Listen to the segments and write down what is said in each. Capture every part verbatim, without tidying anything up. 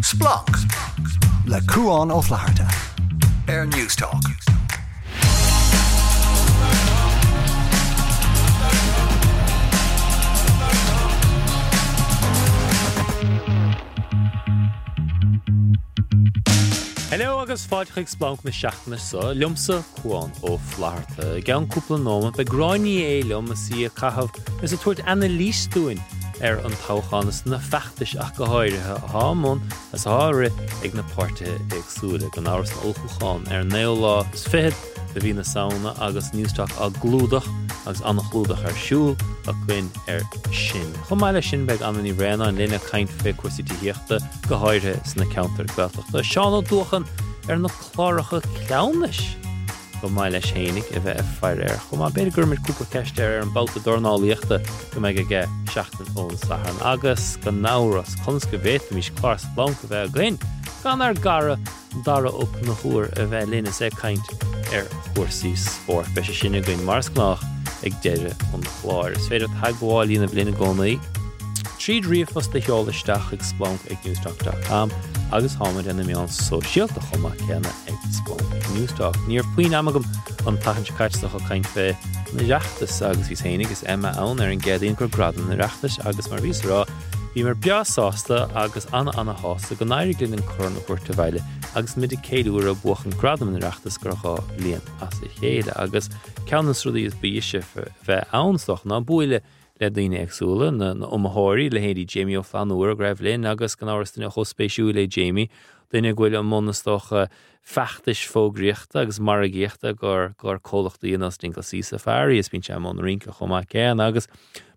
Splanc le Cuán Ó Flatharta ar Newstalk. Hello agus fáilte chuig Splanc na seachtaine seo, liomsa Cuán Ó Flatharta. I gceann cúpla nóiméad beidh Gráinne Ní Aodha liom is í ag caitheamh is ag tabhairt anailís dúinn ar an toghchán is na feachtais ach go háirithe atá i mbun is atá á rith ag na páirtithe éagsúla. Gan amhras an olltoghchán ar an naoú lá is fichead de mhí na Samhna agus Newstalk á gclúdach agus an-chlúdach ar siúl againn air sin. Chomh maith leis sin beidh Anna Ní Bhraonáin linn ag caint fé cúrsaí tithíochta, go háirithe sna ceantair Gaeltachta. Seán Ó Dúacháin ar na cláracha cleamhnais go maith leis fhéinig a bheith ag faire air chomh maith. B'fhéidir go gcuirfimid cúpla ceist air ar an mbabhta dornálaíochta go mbeidh aige seachtain ón Satharn. Agus gan amhras, conas go bhféadfaimis clár Splanc a bheith againn gan ár gcara Dara Ó Conchúir a bheith linn is é ag caint ar chúrsaí spóirt. Beidh sé sin againn mar is gnách ag deireadh an chláir. Is féidir teagmháil a dhéanamh linn i gcónaí tríd ríomhphost a sheoladh isteach chuig splanc ag newstalk dot com agus táimid ar na meáin sóisialta chomh maith céanna ag Splanc Newstalk. Ní raibh puinn ama agam an tseachtain seo caite ach ag caint fé an Oireachtas agus bhíos fhéinig is Emma ann ar an gCéadaoin gur Gradaim an Oireachtais agus mar bhíos a rá bhíomar breá sásta agus ana-ana-shásta go n-éirigh linn an corn a thabhairt abhaile agus muid ag ceiliúradh buachan Gradam an Oireachtais gur dhá bhliain as a chéile agus ceann de na rudaí is ba dheise bheith ann is dócha ná buaileadh le daoine éagsúla, na iomaitheoirí, leithéidí Jamie Ó Flannúra go raibh linn agus gan amhras duine chomh spéisiúil é Jamie, duine go bhfuil i mbun is dócha feachtais fógraíochta agus margaíochta gur gur comhlachtaí ar nós Dingle Sea Safari is bíonn sé i mbun rince chomh maith céanna agus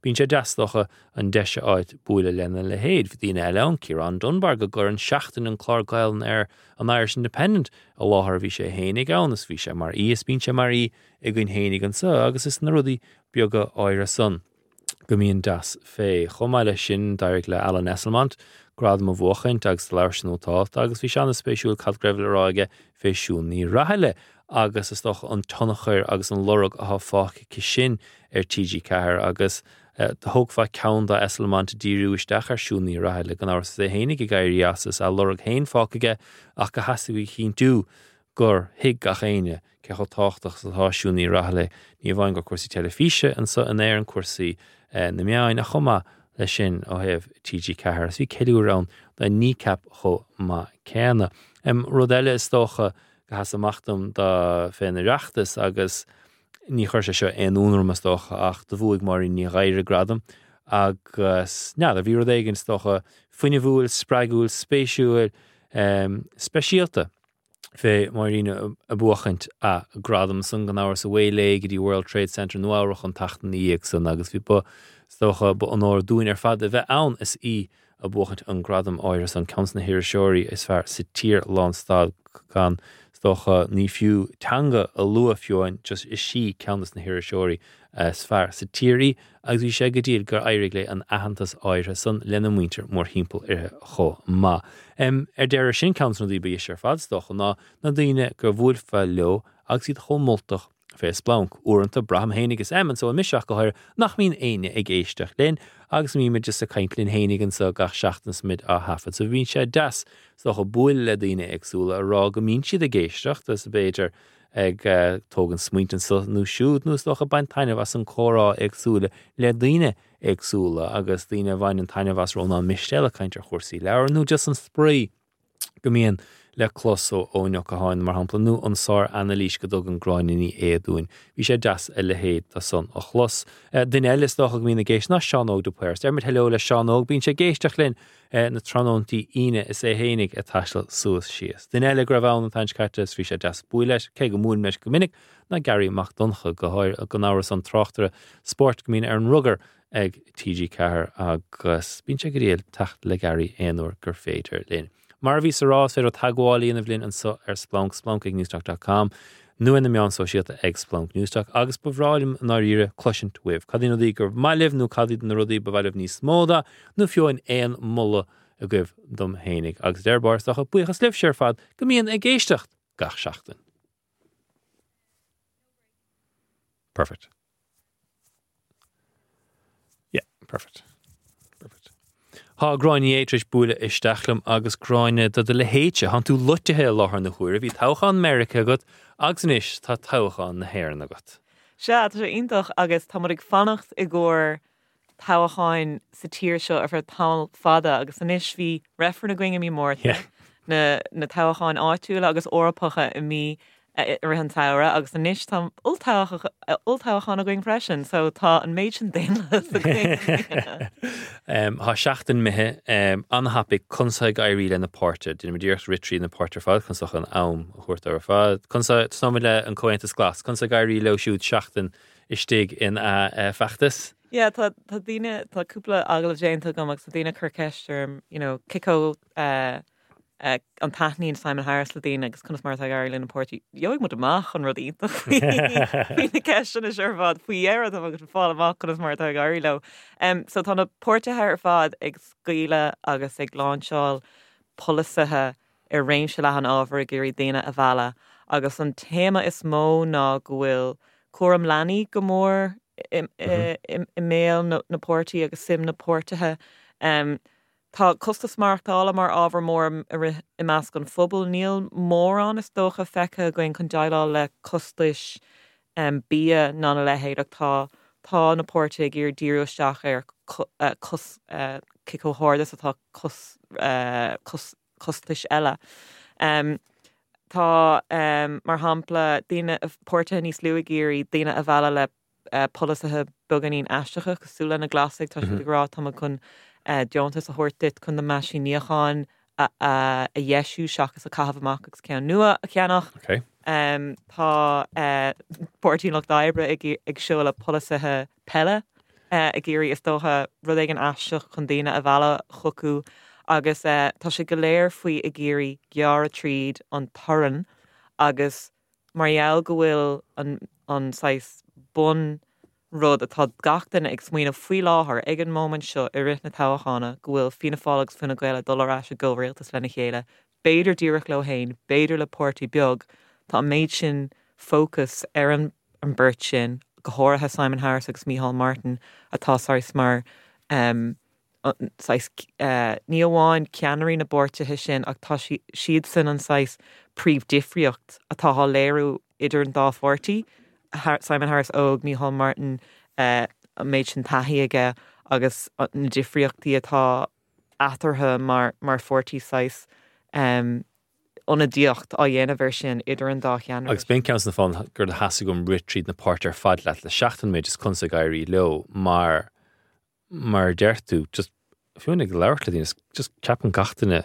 bíonn sé deas is dócha an deis a fháilt buaileadh lena leithéid. Bhí daoine eile ann, Ciarán Dunbar go gcuireann Seachtain an clár Gaelainne ar an Irish Independent i láthair bhí sé fhéinig ann is bhí sé mar aoi is bíonn sé mar aoi againn fhéinig anseo agus is na rudaí beaga áirithe san go mbíonn deas fé. Chomh maith leis sin, d'éirigh le Alan Esslemont gradam a bhuachaint agus do labhair sé nótálta agus bhí sé an-spéisiúil cad go raibh le rá aige fé Siún Ní Raghallaigh agus is dócha an tionchar agus an lorg atá fágtha aici sin ar T G ceathair agus do thógfá ceann do Esslemont díriú isteach ar Siún Ní Raghallaigh gan amhras is é fhéinig ag éirí as is a lorg féin fágtha aige ach go theastaigh uaidh a chinntiú gur thuig gach éinne cé chomh tábhachtach is atá Siún Ní Raghallaigh, ní amháin gur cúrsaí teilifíse anseo in Éirinn, cúrsaí na meáin, ach chomh maith leis sin ó thaobh T G ceathair. Is bhí ceiliúradh ann do Kneecap chomh maith céanna. Rud eile is dócha go sheas amach dom do fén Oireachtas agus ní chuir sé seo aon ionadh orm is dócha ach do bhuaigh Máirín Ní Ghadhra gradam agus n'fheadar, bhí rud éigin is dócha fuinneamhúil, spreagúil, spéisiúil, speisialta fé Máirín a buachaint a gradam san gan amhras away léi go dtí World Trade Center Nua Eabhrach an tseachtain ina dhiaidh san agus bhí ba is dócha ba onóir dúinn ar fad a bheith ann is í a buachaint an gradam áirithe san ceann de na hiriseoirí is fearr sa tír lánstad gan is dócha ní fiú teanga a lua fiú amháin just is í ceann de na hiriseoirí is fearr sa tír í agus bhí sé go diail gur éirigh léi an aitheantas áirithe san lena muintir mórthimpeall uirthi chomh maith. Ar deireadh sin ceann de na rudaí ba dheise ar fad is dócha ná na daoine gur bhuailfeá leo agus iad chomh moltach fé Splanc. Uaireanta braithim fhéinig is Em anseo mise ach go háirithe nach mbíonn éinne ag éisteacht linn agus mbímid just ag caint linn fhéinig anseo gach seachtain is muid á thaifead so bíonn sé deas is dócha bualadh le daoine éagsúla a rá go mbíonn siad ag éisteacht is b'fhéidir ag tógaint smaointe anseo nó siúd nó is dócha baint taitneamh as an comhrá éagsúla le daoine éagsúla agus daoine a bhaineann taitneamh as Rónán Mistéal ag caint ar chúrsaí leabhar nó just an spraoi go mbíonn le clos ó Eoin Ó Catháin mar shampla nó an sár-anailís go dtugann Gráinne Ní Aodha dúinn. Bhí sé deas a leithéid de san a chlos. Duine eile is dócha go mbíonn ag éisteacht ná Seán Óg de Paor. Deir muid hello le Seán Óg, bíonn sé ag éisteacht linn na tráthnóntaí Aoine is é fhéinig ag taisteal suas síos. Duine eile go raibh ann an tseachtain seo caite is bhí sé deas bualadh leis, cé go mbuailim leis go minic, ná Garry Mac Donncha, go háirithe gan amhras an tráchtaire spóirt go mbíonn ar an rugar ag T G ceathair agus bíonn sé go diail teacht le Garry aon uair gur féidir linn. Mar a bhíos a rá, is féidir teagmháil a dhéanamh linn anseo ar Splanc, splanc ag newstalk dot com nó ar na meáin sóisialta ag Splanc Newstalk agus ba bhreá liom i ndáiríre cloisint uaibh. Cad iad na rudaí gur maith libh nó cad iad na rudaí ba mhaith libh níos mó de nó fiú amháin aon moladh agaibh dom fhéinig. Agus deir bár is dócha buíochas libhse ar fad go mbíonn ag éisteacht gach seachtain. Perfect. Yeah, perfect. Perfect. Tá Gráinne Ní Aodha tar éis bualadh isteach liom agus Gráinne do do leithéidse, thánn tú loitithe i láthair na huaire, bhí toghchán Meiriceá agat agus anois tá toghchán na hÉireann agat. Sea, tá sé iontach agus tá muid ag fanacht i gcomhair toghcháin sa tír seo ar feadh tamall fada agus anois bhí reifreann againn i mí Márta, na na toghcháin áitiúla agus Eorpacha i mí i rith an tsamhraidh agus anois tá olltoghchán againn freisin, so tá an méid sin daonlathas againn. Tá seachtain imithe an-thapaidh conas ag éirí le na páirtithe, Déanfaimid iarracht rith trí na páirtithe ar fad chun socha an am a thabhairt ar fad. Conas tosóimid le an Comhaontas Glas, conas ag éirí leo siúd seachtain istigh in a feachtas? Yeah, tá tá daoine tá cúpla agallamh déanta agam agus tá daoine cur ceist orm, you know, cé chomh uh, uh, an taitníonn Simon Harris le daoine agus conas mar atá ag éirí lena pháirtí. Gheobhaidh muid amach an rud iontach faoi faoi na ceisteanna seo ar fad faoi dheireadh tá agus fáil amach conas mar atá ag éirí leo. Um, so tá na páirtithe ar fad ag scaoileadh agus ag láinseáil polasaithe ar réimse leathan ábhar ag iarraidh daoine a mhealladh agus an téama is mó ná go bhfuil cúram leanaí go mór i, i, i, i mbéal na, na páirtí agus suim na páirtithe. Um, Tá costas maireachtála mar ábhar mór i rith i measc an phobail níl mórán is dócha feicthe againn chun déileáil le costais um, bia ná na leithéid ach tá tá na páirtithe ag iarraidh díriú isteach ar co, uh, cos, uh, cé chomh hard is atá cos, uh, cos, costais eile. Um, tá um, mar shampla daoine páirtithe níos lú ag iarraidh daoine a mhealladh le uh, polasaithe beagáinín aisteacha cosúil le na Glasaigh tá siad ag rá tá chun uh, deontas a thabhairt duit chun na meaisín níocháin a, a, a dheisiú seachas a chaitheamh amach agus ceann nua a cheannach. Okay. Um, tá uh, Páirtí Lucht Oibre ag, ag seoladh polasaithe peile uh, ag iarraidh is dócha rud éigin aisteach chun daoine a mhealladh chucu agus uh, tá sé go léir faoi ag iarraidh gearradh tríd an torann agus mar gheall go bhfuil an, an saghas bun rud atá gach duine ag smaoineamh faoi láthair ag an móimint seo i rith na toghchána go bhfuil Fianna Fáil agus Fine Gael ag dul ar ais i gcomhrialtas lena chéile, b'fhéidir díreach leo féin, b'fhéidir le páirtí beag, tá an méid sin fócas ar an, an beirt sin, go háirithe Simon Harris agus Micheál Martin atá saghas mar um, saghas uh, ní amháin ceannairí na bpáirtithe sin ach tá siad sin an saghas príomhdhifríocht atá á léiriú idir an dá pháirtí. Simon Harris óg Micheál Martin uh, an méid sin taithí aige agus na difríochtaí atá eatarthu mar mar pháirtí saghas um, ionadaíocht á dhéanamh ar sin idir an dá cheann. Agus b'in ceann na fáthanna gur theastaigh uaim rith tríd na páirtithe ar fad leat le seachtain méid is conas ag éirí leo mar mar deir tú just fiú ag labhairt le daoine just ceapann gach duine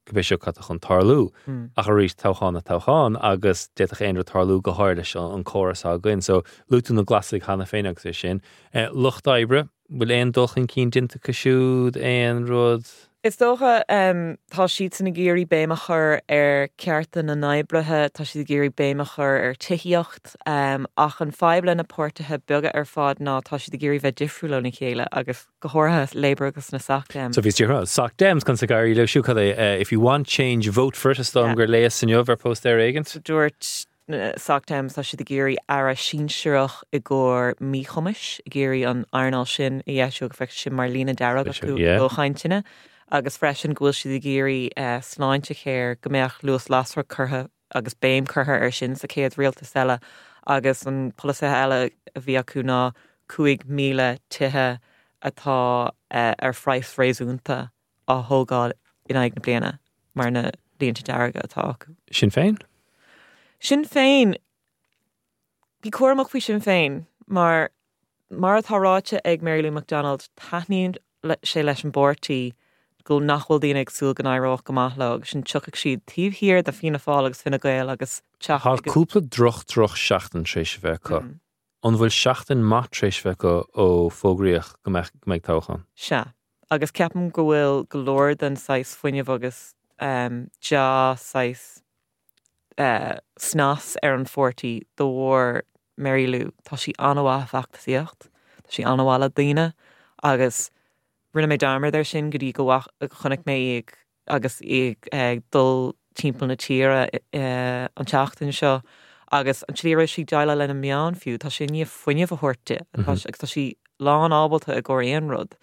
go b'é seo cad chun tarlú Mm. ach arís toghchán a toghchán agus d'fhéadfadh aon rud tarlú go háirithe leis an córas againn, so luaigh tú na Glasaigh cheana féin agus é sin. Eh, Lucht oibre, bhfuil aon dul chun cinn déanta acu siúd aon rud Is dócha um, tá siad san ag iarraidh béim a chur ar cearta na n-oibrithe, tá siad ag iarraidh béim a chur ar tithíocht, um, ach an fadhb le na páirtithe beaga ar fad ná tá siad ag iarraidh bheith difriúil óna chéile agus go háirithe Labour agus na Soc Dems. So bhí tí Soc Dems chun sa gaiirí le siú cad é uh, if you want change vote for it is dom Yeah. gur léas inniu ar póstaer éigin. Dúirt Soc Dems tá siad ag iarraidh aire sinsearach i gcomhair míchumais ag iarraidh an earnáil sin a dheisiú go bhfeicfidh sin mar líne dearg acu Yeah. ó chainteanna. agus freisin go bhfuil siad ag iarraidh uh, Sláintecare go mbeadh luas lasrach curtha agus béim curtha ar sin sa chéad rialtas eile agus an polasaithe eile a bhí acu ná cúig míle tithe atá uh, ar phraghas réasúnta á thógáil in aghaidh na bliana mar na línte dearga atá acu. Sinn Féin? Sinn Féin Bí cúramach faoi Sinn Féin mar mar atá ráite ag Mary Lou McDonald taitníonn le- sé leis an bpáirtí go nach bhfuil daoine ag súil go n-éireodh go maith leo agus sin tiocfaidh siad taobh thiar de Fianna Fáil agus Fine Gael agus Tá teach cúpla droch droch seachtain tar éis a bheith acu. Mm. An bhfuil seachtain maith tar éis a bheith acu ó fógraíodh go mbeidh go mbeidh toghchán. Sea, agus ceapaim go bhfuil go leor den saghas fuinneamh agus um, dea saghas uh, snas ar an pháirtí de bharr Mary Lou. Tá sí an-mhaith feachtasaíocht, Tá sí an-mhaith le daoine agus rinne mé dearmad air sin go dtí go chonaic mé í agus í ag dul timpeall na tíre uh, an tseachtain seo agus an tslí sí déileáil lena meáin fiú, Tá sé ní fuinneamh a thabhairt di agus tá sí lán ábalta i gcomhair aon rud.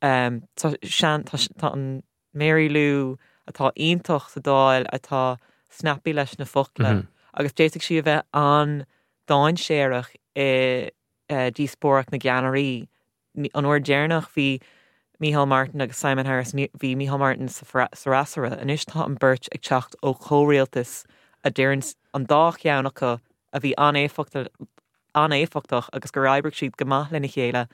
Um, tá sean tá, tá an Mary Lou atá iontach sa Dáil atá snappy leis na focla mm -hmm. agus d'fhéadfadh sí a bheith an-dainséarach i uh, díospóireacht na gceannairí. An uair deireanach bhí Micheál Martin agus Simon Harris bhí Micheál Martin sa fhreasúra anois tá an beirt ag teacht ó chomhrialtas a deireann an dá cheann acu a bhí an-éifeachtach agus gur oibrigh siad go maith lena chéile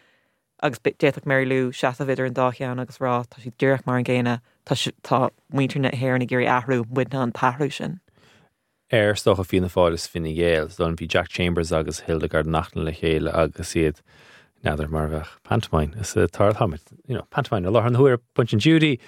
agus d'fhéadfadh Mary Lou seasamh idir an dá cheann agus rá tá siad díreach mar an gcéanna tá muintir na hÉireann ag iarraidh athrú muidne an t-athrú sin. Ar is dócha Fianna Fáil is Fine Gael, don bhí Jack Chambers agus Hildegard Naughton le chéile agus iad n'fheadar mar bheadh pantomime is tar you know, pantomime i láthair na huaire Punch and Judy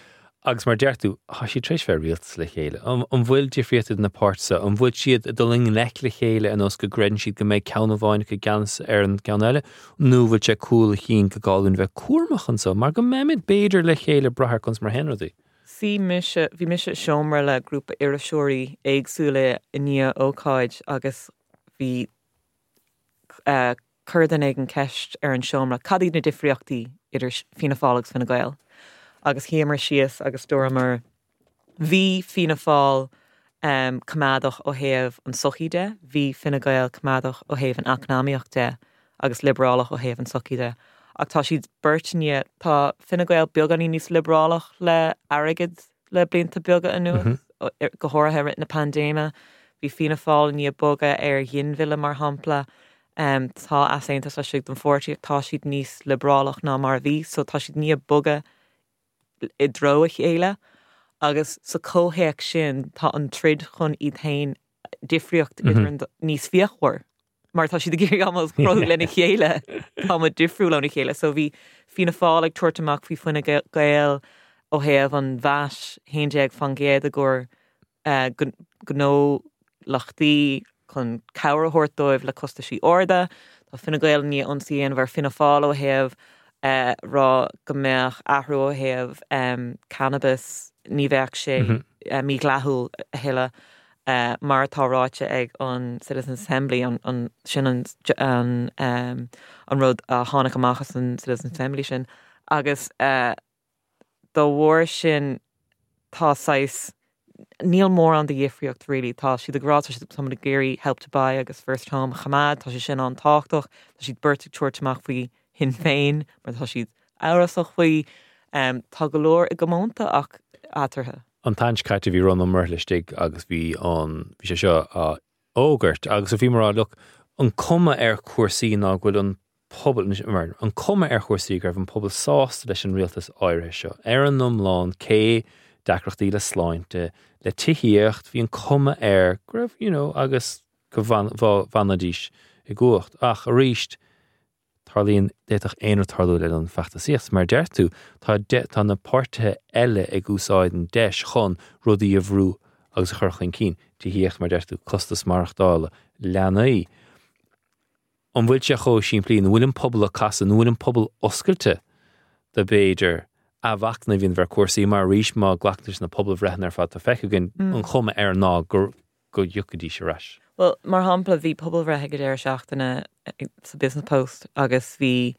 agus mar deir tú tá siad tar éis bheith rialtas le chéile. An bhfuil difríocht na páirtithe, an bhfuil siad dul i ngleic le chéile an nós go gcreideann siad go mbeidh ceann amháin i gceannas ar an gceann eile, nó bhfuil sé cúl a chinn go gáún bheith cúramach anseo, mar go mbeimid b'fhéidir le chéile brath conas mar a théann rudaí. Sí mise bhí mise seomra le grúpa iriseoirí éagsúla i ndiaidh ócáid agus bhí uh, chuir duine éigin ceist ar an seomra cad iad na difríochtaí idir Fianna Fáil agus Fine Gael. Agus shuíomar síos agus dúramar bhí Fianna Fáil um, coimeádach ó thaobh an sochaí de, bhí Fine Gael coimeádach ó thaobh an eacnamaíocht de agus liobrálach ó thaobh an sochaí de. Ach tá siad beirtne tá Fine Gael beagáinín níos liobrálach le airgead le blianta beaga anuas mm -hmm. go háirithe rith na paindéime, bhí Fianna Fáil ní boga ar ghinmhilleadh mar shampla. Um, tá easaontas laistigh den pháirtí tá siad níos liobrálach ná mar bhí, so tá siad ní boga i dtreo a chéile agus sa chomhthéacs sin tá an troid chun iad féin difríocht mm -hmm. níos fíochmhar. Mar tá siad ag iarraidh cruthú lena chéile tá difriúil óna chéile, so bhí Fianna Fáil ag tabhairt amach faoi Fine Gael ó thaobh an VAT haon déag faoin gcéad a chur uh, gnólachtaí chun cabhair a thabhairt dóibh le costaisí arda, Tá Fine Gael ní ionsaí bhar Fianna Fáil ó thaobh uh, rá go mbeadh athrú ó thaobh um, cannabis ní bheadh sé mm -hmm. uh, mídhleathach a thuilleadh uh, mar atá ráite ag an Citizen Assembly an, an sin an, an, um, an rud a tháinig amach as an Citizen Assembly sin agus uh, dá bharr sin tá sais níl mórán de dhifríocht really tá siad ag rá tá ag iarraidh help to buy agus first home a choimeád tá sé sin an-tábhachtach tá siad beirt ag tabhairt amach faoi Shinn Féin mar tá siad amhrasach faoi um, tá go leor i gcomónta ach eatarthu. An t-am caite bhí Rónán Ó Muirthile istigh agus bhí an bhí sé seo á fhógairt agus a bhí mar look an cuma ar chúrsaí ná go bhfuil an pobal mar an cuma ar chúrsaí go raibh an pobal sásta leis an rialtas áirithe seo. Ar an iomlán cé deacrachtaí le sláinte le tithíocht bhí an cuma air go raibh you know, agus go bhfanfaidís i gcumhacht ach arís tarlaíonn d'fhéadfadh aon rud tarlú le an feachtasaíocht mar deir tú tá tá na páirtithe eile ag úsáid an deis chun rudaí a bhrú agus a chur chun cinn tithíocht mar deir tú costas maireachtála leanaí. An bhfuil sé chomh simplí an bhfuil an pobal ag casadh an bhfuil an pobal oscailte do b'fhéidir athmhachnamh a dhéanamh ar chúrsaí mar arís má ghlactar na pobalbhreitheanna ar fad tá feicthe againn an chuma air ná gur go dtiocfaidís ar ais. Well, mar shampla bhí pobalbhreith ag deireadh seachtaine sa Business Post agus bhí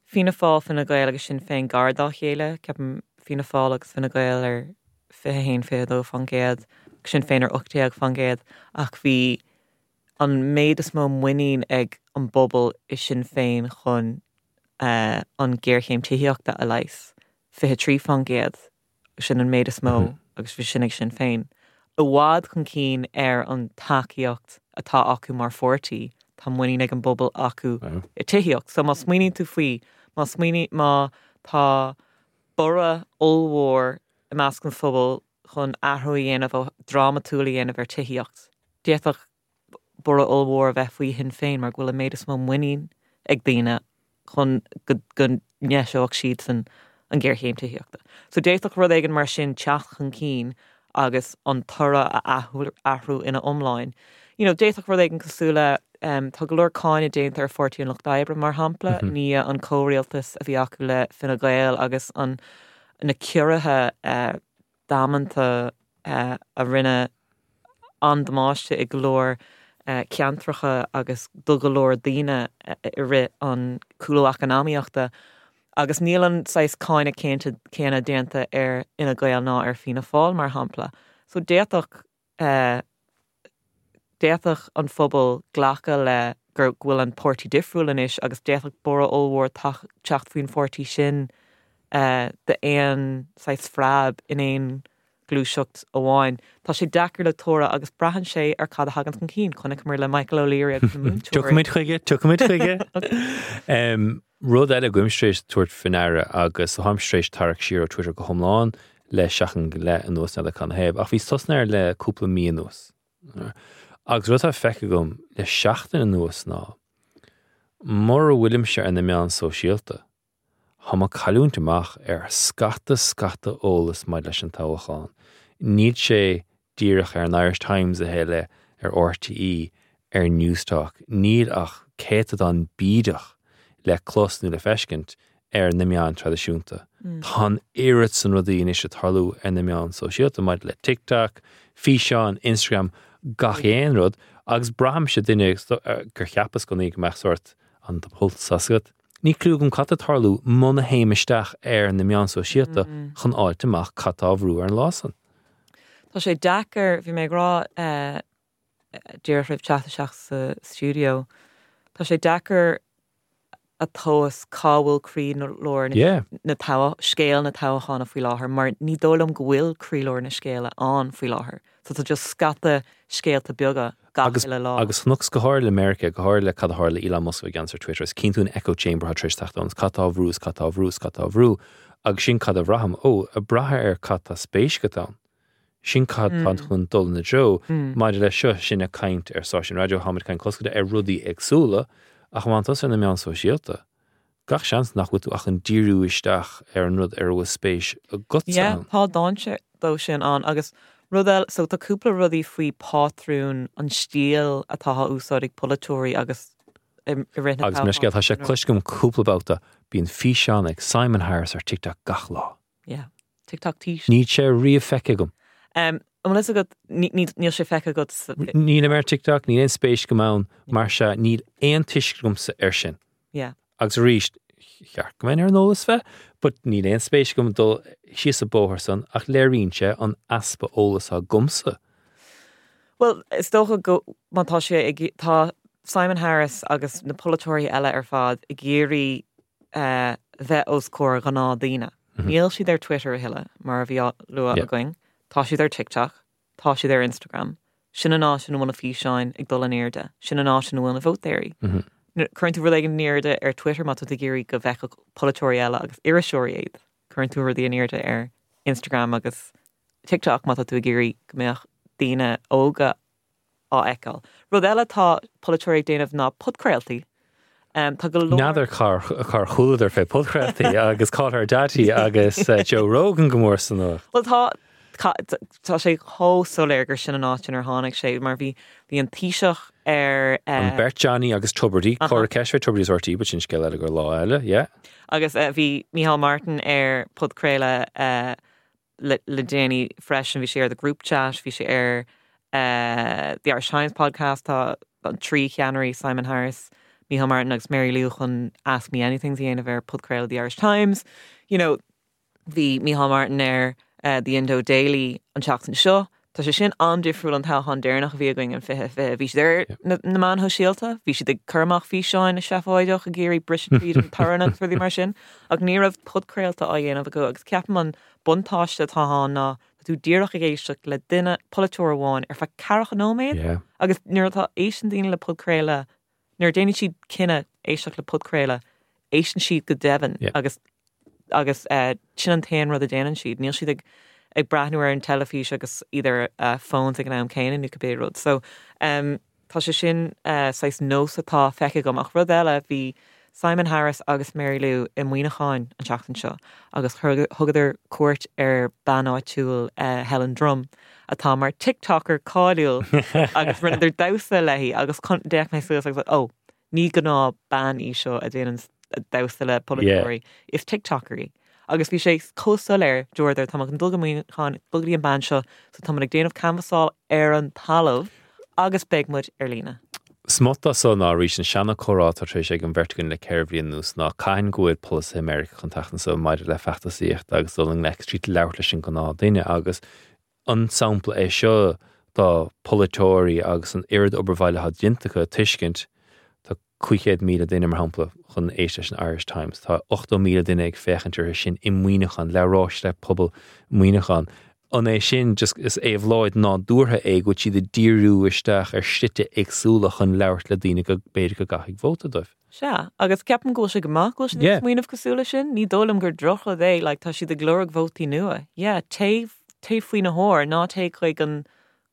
Fianna Fáil Fine Gael agus Sinn Féin gar dá chéile, ceapaim Fianna Fáil agus Fine Gael ar fiche haon fiche dó faoin gcéad, Sinn Féin ar ocht déag faoin gcéad ach bhí an méid is mó muinín ag an bpobal i Sinn Féin chun uh, an géarchéim tithíochta a leigheas. fiche trí faoin gcéad sin an méid is mó mm -hmm. agus bhí sin ag Sinn Féin. I bhfad chun cinn ar an tacaíocht atá acu mar pháirtí tá muinín ag an bpobal acu i tithíocht. So má smaoiníonn tú faoi má smaoiní má tá borradh ollmhór i measc an phobail chun athrú a dhéanamh drámatúil a dhéanamh ar tithíocht. D'fhéadfadh borradh ollmhór a bheith faoi Shinn Féin mar go bhfuil an méid is mó muinín ag daoine chun go ndeiseodh siad san an géarchéim tithíochta. So d'fhéadfadh rud éigin mar sin teacht chun cinn agus an toradh a athrú ina iomláin. You know, d'fhéadfadh rud éigin cosúil le um, tá go leor cáineadh déanta ar Pháirtí an Lucht Oibre mar shampla, mm -hmm. ní an comhrialtas a bhí acu le Fine Gael agus an na ciorruithe uh, damanta uh, a rinne an-damáiste i go leor uh, ceantracha agus do go leor daoine i rith an cúlú eacnamaíochta. Agus níl an saghas cáineadh céanna céanna déanta ar Fhine Gael ná ar Fianna Fáil mar shampla. So d'fhéadfadh uh, d'fhéadfadh an phobal glacadh le gur bhfuil an páirtí difriúil anois agus d'fhéadfadh borradh ollmhór teacht faoin pháirtí sin uh, d'aon saghas preab in aon gluaiseacht amháin. Tá sé deacair le tuar agus braitheann sé ar cad a thagann chun cinn chonaiceamar le Michael O'Leary agus na múinteoirí. Tiocfaimid chuige, tiocfaimid chuige. Rud eile go bhfuilim tar éis tabhairt faoi ndeara agus táim tar éis tarraingt siar ó Twitter go hiomlán le seachtain go leith anuas n'fheadar canathaobh, ach bhí tosnaithe air le cúpla mí anuas. Agus rud atá feicthe agam le seachtain anuas ná mura bhfuilimse ar na meáin sóisialta, Tá mé ag cailliúint amach ar scata scata eolas maidir leis an toghchán. Níl sé díreach ar an Irish Times a thuilleadh ar RTÉ ar Newstalk, níl ach céatadán bídeach le clos nó le feiscint ar na meáin traidisiúnta. Mm. Tá an oiread san rudaí anois ag tarlú ar na meáin sóisialta maidir le TikTok, físeán, Instagram, gach aon rud, agus braithimse duine gur cheapas go go mbeadh sórt an pulse agat. Níl clue agam cad atá ag tarlú muna théim isteach ar na meáin sóisialta mm. chun fháilt amach cad tá á bhrú ar an lá san. Tá sé deacair bhí mé ag rá uh, díreach roimh teacht isteach sa studio. Tá sé deacair a thomhas cá bhfuil croílár yeah. na scéal na toghchána faoi láthair, mar ní dóigh liom go bhfuil croílár na scéala ann faoi láthair. So tá just scata scéalta beaga agus lá. Agus chonac go háirithe le Meiriceá go háirithe le cad a tharla Elon Musk gan ar Twitter is cinnte an echo chamber tar éis teacht ann cad tá á bhrú cad tá á bhrú cad tá á bhrú agus sin cad a bhraithim ó ag brath ar cad tá spéis agat ann. Sin cad tá mm. chun dul na dtreo mm. maidir le seo sin ag caint ar stáisiún raidió táimid ag caint cosúil ar rudaí éagsúla ach má tá ar na meáin sóisialta. Gach seans nach bhfuil tú ach ag díriú isteach ar an rud ar bhfuil spéis agat. Yeah, tá dainséar dó sin ann agus rud eile so tá cúpla rudaí faoi pátrún an stíl atá á úsáid ag polaiteoirí agus i rith Agus mar scéal tá sé cloiste agam cúpla babhta bíonn físeán ag Simon Harris ar TikTok gach lá. Yeah, TikTok tí. Níl sé riamh feicthe agam. Um, an bhfuil agat níl sé feicthe agat Níl ar TikTok, níl aon spéis agam ann mar se níl aon tuiscint agamsa ar sin. Yeah. Agus arís cheart go mbeinn ar an eolas fé, but níl aon spéis agam dul síos an bóthar san ach léiríonn sé an easpa eolas agamsa. Well, is dócha go má tá sé ag tá Simon Harris agus na polaiteoirí eile ar fad ag iarraidh uh, bheith os comhair gnáthdhaoine. Mm -hmm. Níl siad ar Twitter a thuilleadh mar a bhí lua yeah. againn. Tá siad ar TikTok, tá siad ar Instagram. Sin an áit ina bhfuil na físeáin ag dul in airde, sin an áit ina bhfuil na vótóirí. Mm -hmm. Cuireann tú rud in airde ar Twitter má tá ag iarraidh go bhfeicfeadh polaiteoirí eile agus iriseoirí iad. Cuireann tú rudaí in airde ar Instagram agus TikTok má tá tú ag iarraidh go mbeadh daoine óga á fheiceáil. Rud eile tá polaiteoirí ag déanamh ná podchraoltaí. Um, tá go leor N'fheadar cár cár chualadar fé podchraoltaí agus Call Her Daddy agus uh, Joe Rogan go mór san nuacht. Well tá tá sé chomh soiléir gur sin an áit inar tháinig sé mar bhí bhí an Taoiseach ar An beirt Johnny agus Tubridy Cora Ceisfé Tubridy RTÉ, but sin scéal eile gur lá eile, yeah. Agus uh, bhí Micheál Martin ar podchraoladh uh, le, le déanaí freisin bhí sé ar the group chat, bhí sé ar uh, the Irish Times podcast tá an trí cheannairí Simon Harris, Micheál Martin agus Mary Lou chun Ask Me Anything a dhéanamh ar podchraoladh the Irish Times. You know, bhí Micheál Martin ar uh, the Indo Daily an tseachtain seo. Tá sé sin an-difriúil an toghchán deireanach a bhí againn an fiche fiche. Bhí siad ar na, na meáin shóisialta, bhí siad ag cur amach físeáin seafóideach ag iarraidh briseadh tríd an torann agus rudaí mar sin, ach ní raibh podchraolta á dhéanamh acu agus ceapaim an buntáiste atá ann ná tá tú díreach ag éisteacht le duine polaiteoir amháin ar feadh ceathracha nóiméad Yeah. agus nuair atá éisteann daoine le podchraoladh nuair déanann siad cinneadh éisteacht le podchraoladh éisteann siad go deimhin Yeah. agus agus uh, sin an t-aon rud a déanann siad. Níl siad ag ag breathnú ar an teilifís agus idir uh, phones ag an am céanna nó cibé rud. So um, tá sé sin uh, saghas nós atá feicthe agam ach rud eile bhí Simon Harris agus Mary Lou i Muineachán an tseachtain seo agus thugadar cuairt ar bean áitiúil uh, Helen Drum atá mar TikToker cáiliúil agus rinneadar damhsa léi agus d'fhéach mé suas agus ó ní gnáthbhean í seo a déanann damhsa le polaiteoirí is TikToker í. Agus bhí sé chomh soiléir dúradar tá an dul chun dul go dtí an bhean seo so tá ag déanamh canbhasáil ar an talamh agus beidh muid ar líne. Smut de so ná arís an seana-chomhrá atá tar éis ag an bheirt againn le ceithre bhliain anuas ná cathain go bhfuil polasaithe Meiriceá chun teacht anso maidir le feachtasaíocht agus dul i ngleic tríd labhairt leis an gnáth-duine agus an sampla é seo do polaiteoirí agus an oiread obair bhaile atá déanta acu tuiscint tá cúig chéad míle duine mar shampla chun éist leis an Irish Times, tá ochtó míle duine ag féachaint orthu sin i Muineachán, labhráis le pobal Muineachán. An é sin just is éabhlóid nádúrtha é go bhfuil siad ag díriú isteach ar shlite éagsúla chun labhairt le daoine go b'fhéidir go gcaithfidh vóta dóibh. Sea, agus ceapaim go bhfuil sé go maith go bhfuil siad ag Yeah. smaoineamh cosúil leis sin, ní dóigh liom gur drochrud é, like, tá siad ag lorg vótaí nua. Yeah, téigh téigh faoina thóir, ná téigh chuig an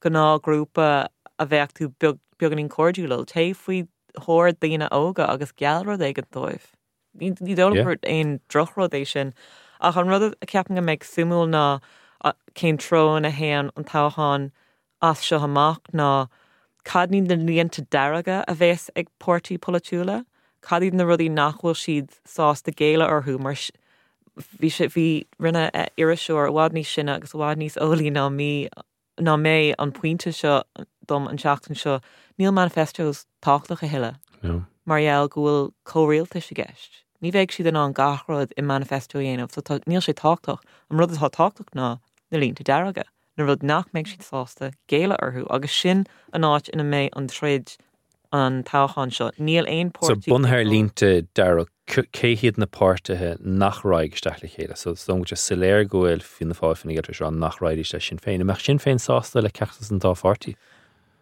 gnáthghrúpa a bheadh tú beag beagáinín cairdiúil, téigh faoi thóir daoine óga agus geall rud éigin dóibh. Ní ní dóigh liom Yeah. gur aon drochrud é sin. Ach an rud a ceapaim go mbeidh suimiúil ná a- cén treo ina théann an toghchán as seo amach ná cad iad na línte dearga a bheas ag páirtí polaitiúla, cad iad na rudaí nach bhfuil siad sásta géilleadh orthu mar s- bhí sé bhí rinne eh, iriseoir i bhfad níos sine agus i bhfad níos eolaí ná mí ná mé an pointe seo dom an seachtain seo, níl manifestos tábhachtach a thuilleadh. No. Mar gheall go bhfuil comhrialtais i gceist. Ní bheidh siad in ann gach rud i manifesto a dhéanamh, so tá, níl sé tábhachtach. An rud atá tábhachtach ná na línte dearga, na rud nach mbeidh siad sásta géilleadh orthu, agus sin an áit ina mbeidh an troid an toghchán seo. Níl aon So páirtí bunaithe ar línte dearg cé hiad na páirtithe nach raghaidh isteach le chéile. So is dócha soiléir go bhfuil Fianna Fáil Fine Gael tar nach raghaidís le Sinn Féin. An mbeadh Sinn Féin sásta le ceachtar an dá pháirtí.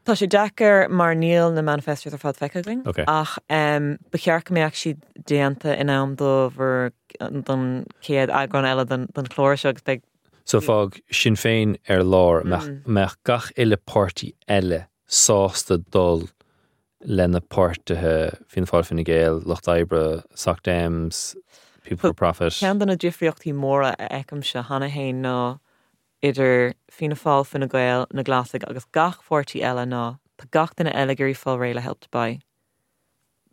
Tá sé deacair mar níl na manifestos ar fad feicthe againn Okay. ach um, ba cheart go mbeadh siad déanta in am do bhur don chéad eagrán eile den, den chlár seo agus beidh So fág Sinn Féin ar lár mbeadh mbeadh gach uile páirtí eile sásta dul lena páirtithe Fianna Fáil Fine Gael, Lucht Oibre, Soc Dems, People for Profit. Ceann de na difríochtaí móra a fheicimse cheana féin ná idir Fianna Fáil Fine Gael na Glasaigh agus gach páirtí eile ná tá gach duine eile ag iarraidh fáil réidh le Help to Buy.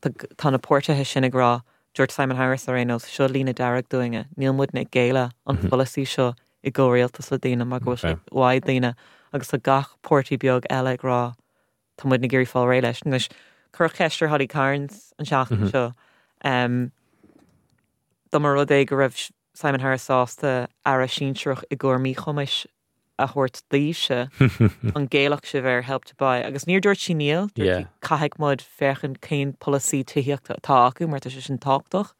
Tá tá na páirtithe sin ag rá dúirt Simon Harris ar aon nós seo líne dearg dúinne, níl muidne ag géilleadh an polasaí seo i gcomhrialtas le daoine mar go bhfuil sé Okay. uaidh daoine agus tá gach páirtí beag eile ag rá tá muid ag iarraidh fáil réidh leis. Anois cuireadh ceist ar Holly Cairns an seachtain seo. Um, Dá mba rud é go raibh Simon Harris sásta aire sinsearach i gcomhair míchumais a thabhairt daoibhse an gcéilfeadh sibh ar Help to Buy agus níor dúirt sí níl dúirt sí Yeah. caithfidh muid féachaint cén polasaí tithíochta atá acu mar tá sé sin tábhachtach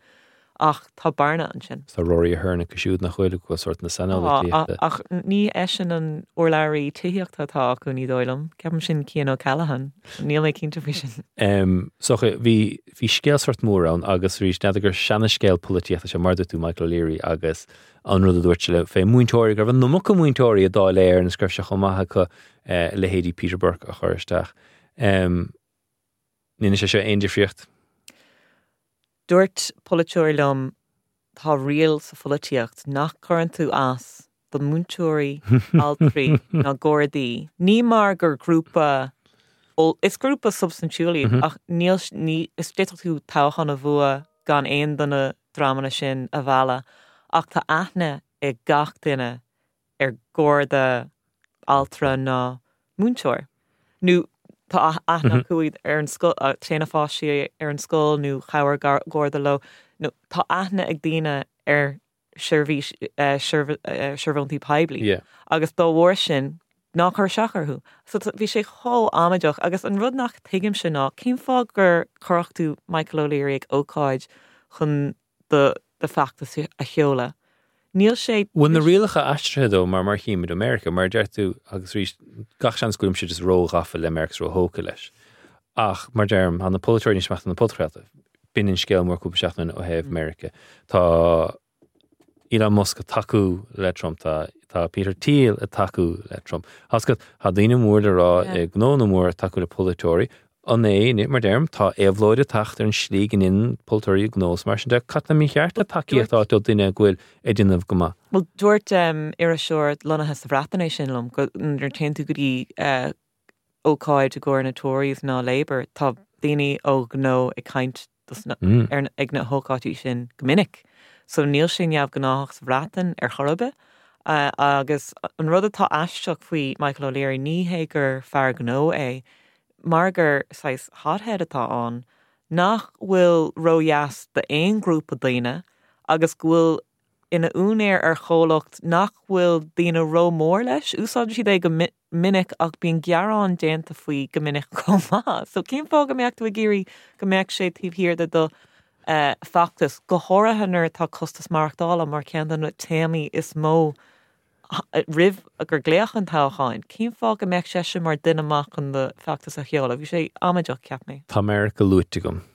ach tá bearna ansin. Tá Rory Ahern acu siúd nach bhfuil go sort na Tá, saineolaíochta. ach ní eisean an urlabhraí tithíochta atá acu ní dóigh liom, Ceapaim sin Cian O'Callaghan, níl mé cinnte faoi sin. Um, so bhí bhí scéal sort mór ann agus arís n'fheadar gur seana-scéal polaitíochta sé mar dúirt tú Michael O'Leary agus an rud a dúirt sé le fé múinteoirí go raibh an iomarca múinteoirí i Dáil Éireann is go raibh sé chomh maith acu eh, leithéidí Peter Burke a chur isteach. Um, Níl sé seo aon difríocht. Dúirt polaiteoir liom tá riail sa pholaitíocht nach gcuireann tú as do múinteoirí altraí ná gardaí. Ní mar gur grúpa ó is grúpa substaintiúil iad ach níl ní is d'fhéadfadh tú toghchán a bhua gan aon de na dreamanna sin a mhealladh ach tá aithne ag gach duine ar garda altra ná múinteoir. Nó tá aithne acu ar an scoil téann a bpáistí ar an scoil nó chabhair garda leo nó tá aithne ag daoine ar seirbhís seirbhóntaí poiblí. Yeah. Agus dá bharr sin ná cuir isteach orthu. So bhí sé chomh amaideach agus an rud nach tuigimse ná cén fáth gur chuirfeadh tú Michael O'Leary ag ócáid chun do do fheachtas a sheoladh. Níl sé Bhfuil na rialacha aistrithe dó mar mar chímid America mar deir tú agus arís gach seans go bhfuilimse just róghafa le America róthógtha leis. Ach mar deirim tá na polaiteoirí níos measa na podchraolta. B'in an scéal mór cúpla seachtain ó thaobh America. Tá Elon Musk ag tacú le Trump tá tá Peter Thiel ag tacú le Trump. Has go tá daoine mór le rá Yeah. ag gnónna mór ag tacú le polaiteoirí an é mar deirim tá éabhlóid ag teacht ar an slí go ndéanann polaiteoirí gnós mar sin de cad tá mícheart le tacaíocht a fháil ó duine go bhfuil ag déanamh go maith. Well dúirt um, iriseoir lonnaithe sa Bhreatain é sin liom go nuair téann tú go dtí uh, ócáid i gcomhair na Tories ná Labour tá daoine ó gnó ag caint dos na, Mm. ar ag na hócáidí sin go minic. So níl sé neamhghnách sa Bhreatain ar chor ar bith. Uh, agus an rud atá aisteach faoi Michael O'Leary ní hé gur fear gnó é mar gur saghas hothead atá ann, nach bhfuil ródheas d'aon ghrúpa daoine agus go bhfuil ina úinéir ar chomhlacht nach bhfuil daoine rómhór leis, úsáideann siad é go minic ach bíonn gearán déanta faoi go minic chomh maith. So cén fáth go mbeadh tú ag iarraidh go mbeadh sé taobh thiar de do uh, feachtas go háirithe nuair atá costas maireachtála mar ceann de na téamaí is mó roimh gur glaodh an toghcháin. Cén fáth go mbeadh sé sin mar duine amach chun do feachtas a sheoladh, bhí sé amaideach cheap mé. Tá Meiriceá luaite agam.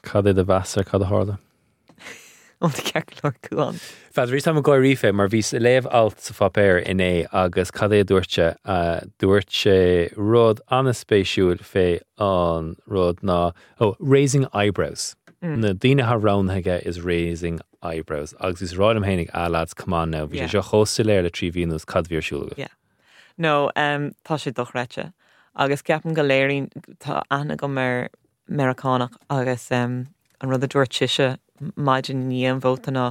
Cad é do mheas ar cad a tharla? Ó ceart go leor Cuán. Fad rí am gáirí fé mar bhí léamh alt sa pháipéar inné agus cad é dúirt sé dúirt sé rud an-spéisiúil fé an rud ná oh, raising eyebrows. Mm. Na daoine atá roghnaithe is raising eyebrows agus is rá féinig ah lads come on now bhí sé seo chomh soiléir le trí mhí anuas cad bhí ar siúl. Yeah. No um, tá sé dochreidte agus ceapaim go léiríonn tá aithne agam ar Meiriceánach agus um, an rud a dúirt sise maidin i ndiaidh an vóta ná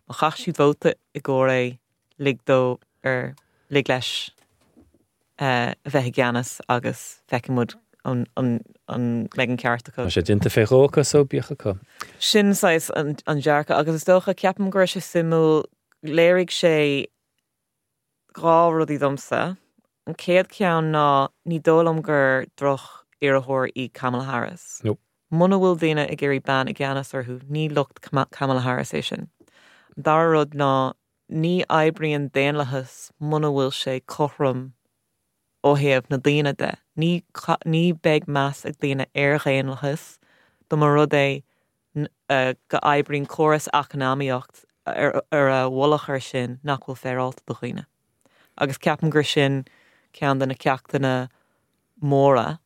má chaith siad vóta i gcomhair é lig dó ar lig leis uh, a bheith i gceannas agus feicfimid an, an, an mbeidh an ceart acu. Tá sé déanta fé dhó acu so bíodh acu. Sin saghas an, an dearcadh agus is dócha ceapaim go raibh sé suimiúil léirigh sé dhá rudaí domsa. An chéad ceann ná ní dóigh liom gur droch-iarrthóir í Kamala Harris. Nope. Muna bhfuil daoine ag iarraidh bean i gceannas orthu, ní lucht Kamala Harris é sin. Dara rud ná ní oibríonn daonlathas muna bhfuil sé cothrom ó thaobh na daoine de. Ní, ní beidh meas ag daoine ar dhaonlathas dá mba rud é go oibríonn córas eacnamaíocht ar, ar a mhullach ar sin nach bhfuil féaráilte do dhaoine. Agus ceapaim gur sin ceann de na ceachtanna móra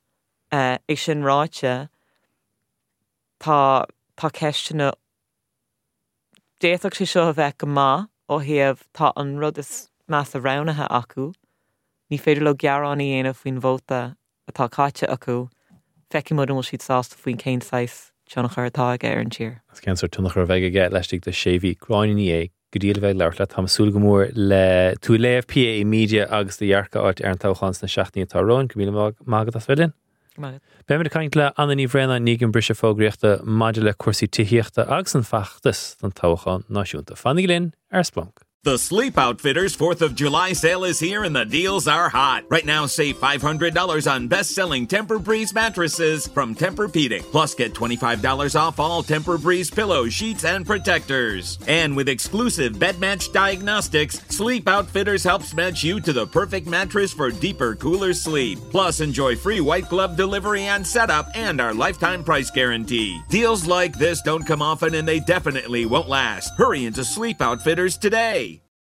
uh, é sin ráite tá tá ceisteanna D'fhéadfadh sé seo a bheith go maith ó thaobh tá an rud is measa roghnaithe acu, ní féidir leo gearán a dhéanamh faoin vóta atá caite acu, feicfimid an bhfuil siad sásta faoin cén saghas tionchar atá aige ar an tír. As cén sórt tionchar a bheidh aige laistigh de sé mhí Gráinne Ní Aodha go dtí le bheith labhairt leat Tá súil go mór le tú léamh PAE Media agus do dhearcadh a fháil ar an toghchán sna seachtainí atá romhainn go míle maith agat as bheith linn. Beimid ag caint le Anna Ní Bhraonáin i ndiaidh an briseadh fógraíochta maidir le cúrsaí tithíochta agus an feachtas don toghchán náisiúnta. Fanaigí linn ar Splanc. The Sleep Outfitters fourth of July sale is here and the deals are hot. Right now, save five hundred dollars on best-selling Tempur-Breeze mattresses from Tempur-Pedic. Plus, get twenty-five dollars off all Tempur-Breeze pillows, sheets, and protectors. And with exclusive Bed Match diagnostics, Sleep Outfitters helps match you to the perfect mattress for deeper, cooler sleep. Plus, enjoy free white glove delivery and setup and our lifetime price guarantee. Deals like this don't come often and they definitely won't last. Hurry into Sleep Outfitters today.